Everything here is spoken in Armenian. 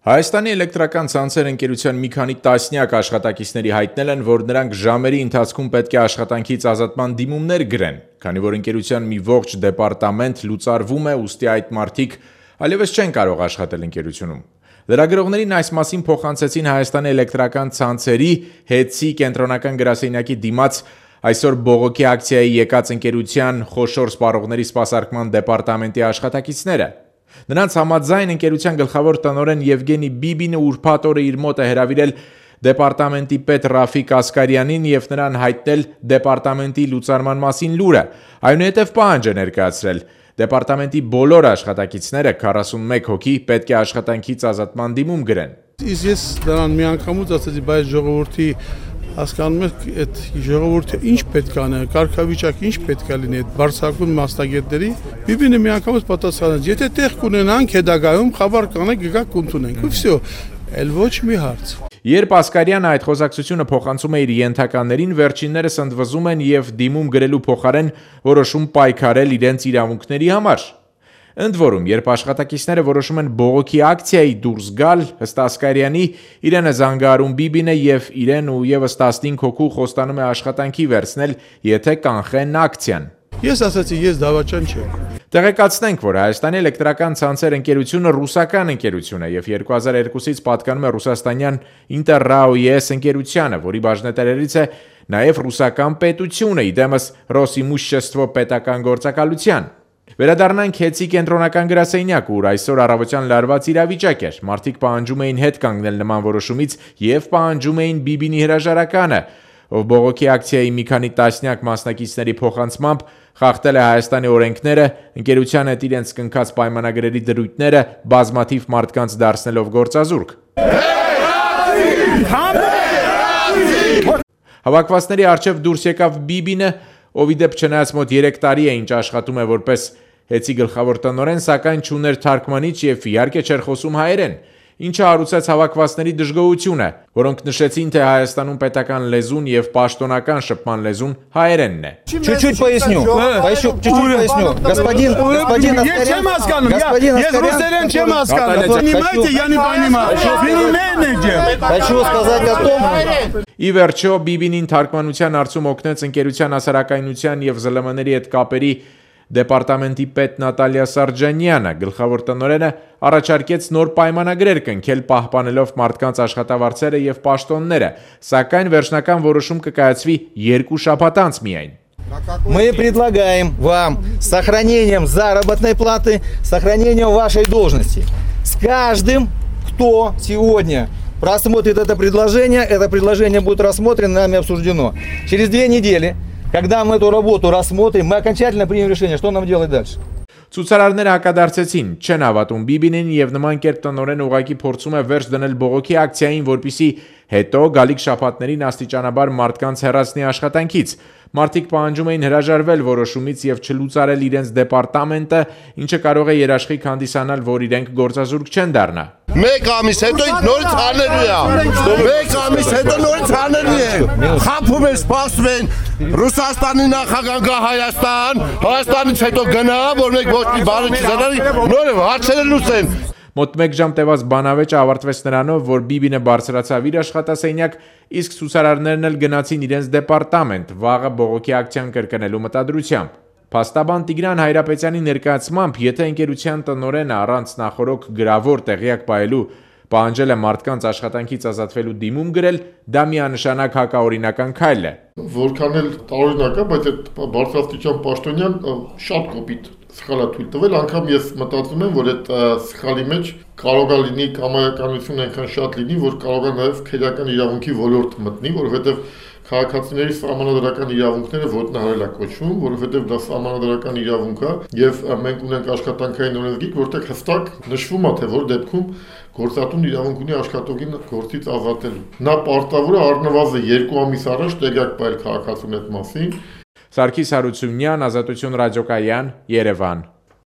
Հայաստանի էլեկտրական ցանցեր ընկերության մի քանի տասնյակ աշխատակիցների հայտնել են, որ նրանք ժամերի ընթացքում պետք է աշխատանքից ազատման դիմումներ գրեն, քանի որ ընկերության մի ողջ դեպարտամենտ լուծարվում է, ուստի այդ մարդիկ այլևս չեն կարող աշխատել ընկերությունում։ Լրագրողներին այս մասին փոխանցեցին Հայաստանի էլեկտրական ցանցերի ՀԵՑ-ի կենտրոնական գրասենյակի դիմաց այսօր բողոքի ակցիայի եկած ընկերության խոշոր սպառողների սպասարկման դեպարտամենտի աշխատակիցները։ Նրանց համաձայն ընկերության գլխավոր տնօրեն Եվգենի Բիբինը ուրբաթ օրը իր մոտ է հրավիրել դեպարտամենտի պետ Ռաֆիկ Ասկարյանին եւ նրան հայտնել դեպարտամենտի լուծարման մասին լուրը։ Այնուհետև պահանջ է ներկայացրել դեպարտամենտի բոլոր աշխատակիցները 41 հոգի պետք է աշխատանքից ազատման դիմում գրեն։ Իսկ ես դրան միանգամից ասացի, բայց ժողովրդի հասկանում եք, այդ ժողովուրդը ինչ պետք է անի, կարգավիճակը ինչ պետք է լինի այդ բարձրակուն մասնագետների։ Բիբինը միանգամից պատասխանեց, եթե տեղ կունենանք հետագայում խաբար կանենք, գաք կընդունենք։ Ու վсё, էլ ոչ մի հարց։ Երբ Ասկարյանը այդ խոսակցությունը փոխանցում է իր ենթականերին, վերջիններս ընդվզում են եւ դիմում գրելու փոխարեն որոշում պայքարել իրենց իրավունքների համար։ Ընդ որում, երբ աշխատակիցները որոշում են բողոքի ակցիայի դուրս գալ, ըստ Ասկարյանի, իրեն է զանգահարում Բիբինը եւ իրեն ու եւս 15 հոգու խոստանում է աշխատանքի վերցնել, եթե կանխեն ակցիան։ Ես ասացի, ես դավաճան չեմ։ Տեղեկացնենք, որ Հայաստանի էլեկտրական ցանցեր ընկերությունը ռուսական ընկերություն է եւ 2002-ից պատկանում է ռուսաստանյան Interrao-ES ընկերությանը, որի բաժնետերերից է նաեւ ռուսական պետությունը, իդեմս Ռոսիմուշչեստվո պետական գործակալության։ Վերադառնանք ՀԵՑ-ի կենտրոնական գրասենյակ, ուր այսօր առավոտյան լարված իրավիճակ էր։ Մարդիկ պահանջում էին հետ կանգնել նման որոշումից եւ պահանջում էին Բիբինի հրաժարականը, ով բողոքի ակցիայի մի քանի տասնյակ մասնակիցների փոխանցմամբ խախտել է Հայաստանի օրենքները, ընկերության հետ իրենց կնքած պայմանագրերի դրույթները բազմաթիվ մարդկանց դարձնելով գործազուրկ։ Հավաքվածների առջև դուրս եկավ Բիբինը, ով ի դեպ չնայած մոտ 3 տարի է ինչ աշխատում է որպես ՀԵՑ-ի գլխավոր տնօրեն, սակայն չուներ թարգմանիչ եւ իհարկե չէր խոսում հայերեն, ինչը հարուցեց հավաքվածների դժգոհությունը, որոնք նշեցին, թե Հայաստանում պետական լեզուն եւ պաշտոնական շփման լեզուն հայերենն է։ Чуть-чуть поясню. Господин Ես ռուսերեն չեմ հասկանում։ Понимаете, я не понимаю. Хочу сказать о том, Ի վերջո Բիբինին թարգմանության հարցում օգնեց ընկերության հասարակայնության եւ ԶԼՄ-ների հետ կապերի դեպարտամենտի պետ Նատալիա Սարջանյանը, գլխավոր տնօրենը առաջարկեց նոր պայմանագրեր կնքել պահպանելով մարդկանց աշխատավարձերը եւ պաշտոնները, սակայն վերջնական որոշում կկայացվի 2 շաբաթ անց միայն։ мы предлагаем вам с сохранением заработной платы, сохранением вашей должности. С каждым, кто сегодня просмотрит это предложение будет рассмотрено, нами обсуждено. Через 2 недели, когда мы эту работу рассмотрим, мы окончательно примем решение, что нам делать дальше. Ցուցարարները հակադարձեցին, չեն հավատում Բիբինին եւ նման կերպ տնօրեն ուղակի փորձում է վերջ դնել բողոքի ակցիային, որպիսի հետո գալիք շաբաթներին աստիճանաբար մարդկանց հեռացնի աշխատանքից։ Մարդիկ պահանջում էին հրաժարվել որոշումից եւ չլուծարել իրենց դեպարտամենտը, ինչը կարող է երաշխիք հանդիսանալ, որ իրենք գործազուրկ չեն դառնա։ Մեկ ամիս հետո նորից հանելու է։ Մեկ ամիս հետո նորից հանելու է։ Խափում են, սպասում են Ռուսաստանի նախագահ գա Հայաստան, Հայաստանից հետո գնա, որ մեկ ոչ մի բան չզարի, նորը հարցերը լուծեն։ Մոտ 1 ժամ տևած բանավեճը ավարտվեց նրանով, որ Բիբինը բարձրացավ իր աշխատասենյակ, իսկ ցուցարարներն էլ գնացին իրենց դեպարտամենտ, վաղը բողոքի ակցիան կրկնելու մտադրությամբ։ Փաստաբան Տիգրան Հայրապետյանի ներկայացմամբ, եթե ընկերության տնօրենը առանց նախորոք գրավոր տեղյակ պահելու պահանջել է մարդկանց աշխատանքից ազատվելու դիմում գրել, դա միանշանակ հակաօրինական քայլ է։ Որքան էլ տարօրինակ է, բայց այդ բարձրաստիճան պաշտոնյան շատ կոպիտ սխալ է թույլ տվել, անգամ ես մտածում եմ, որ այդ սխալի մեջ կարող է լինի կամայականություն այնքան շատ լինի, որ կարող է նաև քրեական իրավունքի ոլորտ մտնի, որովհետև քաղաքացիների սահմանադրական իրավունքները ոտնահարել է կոչվում, որովհետև դա սահմանադրական իրավունք է եւ մենք ունենք աշխատանքային օրենսգիր, որտեղ հստակ նշվում է, թե որ դեպքում գործատուն իրավունք ունի աշխատողին գործից ազատելու։ Նա պարտավոր է առնվազն 2 ամիս առաջ տեղյակ պահել քաղաքացուն այդ մասին։ Սարգիս Հարությունյան, Ազատություն ռադիոկայան, Երևան։